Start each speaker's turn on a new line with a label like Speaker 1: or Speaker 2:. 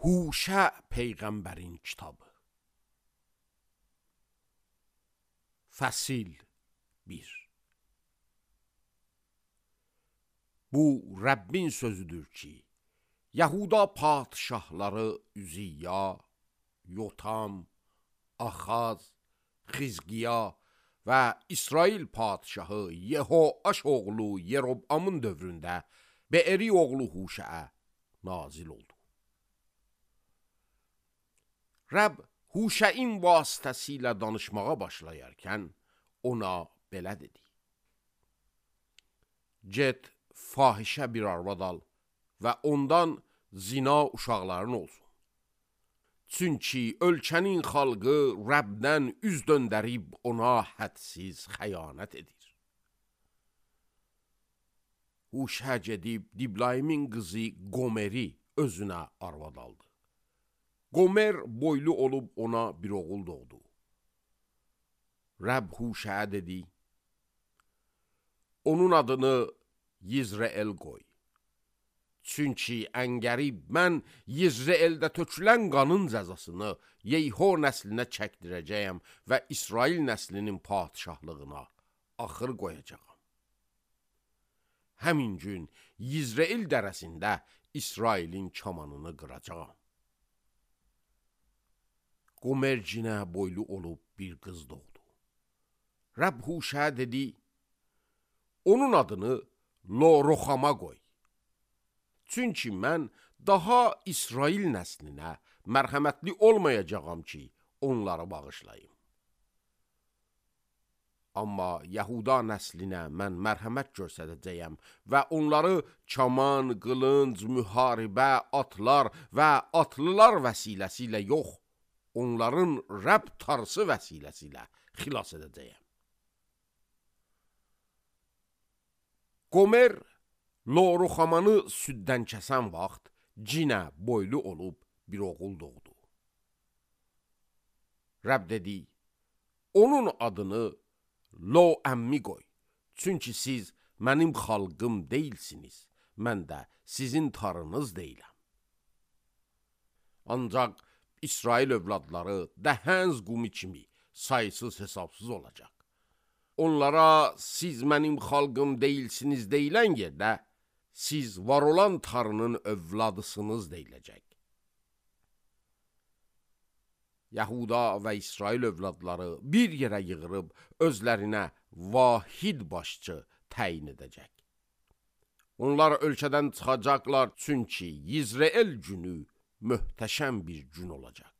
Speaker 1: Huşə Peyğəmbərin kitabı. Fəsil 1. Bu Rəbbin sözüdür ki, Yahuda padişahları Üziyya, Yotam, Axaz, Xizqiya və İsrail padişahı Yehoaş oğlu Yerobamın dövründə Be'eri oğlu Huşəə nazil oldu. Rəbb Huşəin vasitəsilə danışmağa başlayarkən ona belə dedi. Get, fahişə bir arvad al və ondan zina uşaqların olsun. Çünki ölkənin xalqı Rəbdən üz döndərib ona hədsiz xəyanət edir. Huşə gedib Diblaymin qızı Gomeri özünə arvad aldı. Gomer boylu olub ona bir oğul doğdu. Rəbb Huşəyə dedi, onun adını Yizreel qoy. Çünki əngərib mən Yizreeldə tökülən qanın cəzasını Yeyho nəslinə çəkdirəcəyəm və İsrail nəslinin padişahlığına axır qoyacağam. Həmin gün Yizreel dərəsində İsrailin kamanını qıracağam. Qomercinə boylu olub bir qız doğdu. Rəbb Huşəyə dedi, onun adını Lo-Roxama qoy. Çünki mən daha İsrail nəslinə mərhəmətli olmayacağam ki, onları bağışlayım. Amma Yahuda nəslinə mən mərhəmət göstərəcəyəm və onları kaman, qılınc, müharibə, atlar və atlılar vəsiləsi yox, onların Rəbb tarsı vəsiləsi xilas edəcəyəm. Gomer, Lo-Roxamanı süddən kəsən vaxt cinə boylu olub bir oğul doğdu. Rəbb dedi, onun adını Lo-Əmmi qoy. Çünki siz mənim xalqım deyilsiniz, mən də sizin tarınız deyiləm. Ancaq İsrail övladları dəhəz qumi kimi sayısız hesabsız olacaq. Onlara siz mənim xalqım deyilsiniz deyilən yerdə, siz var olan tarının övladısınız deyiləcək. Yahuda və İsrail övladları bir yerə yığırıb özlərinə vahid başçı təyin edəcək. Onlar ölkədən çıxacaqlar, çünki Yizreel günü möhtəşəm bir gün olacaq.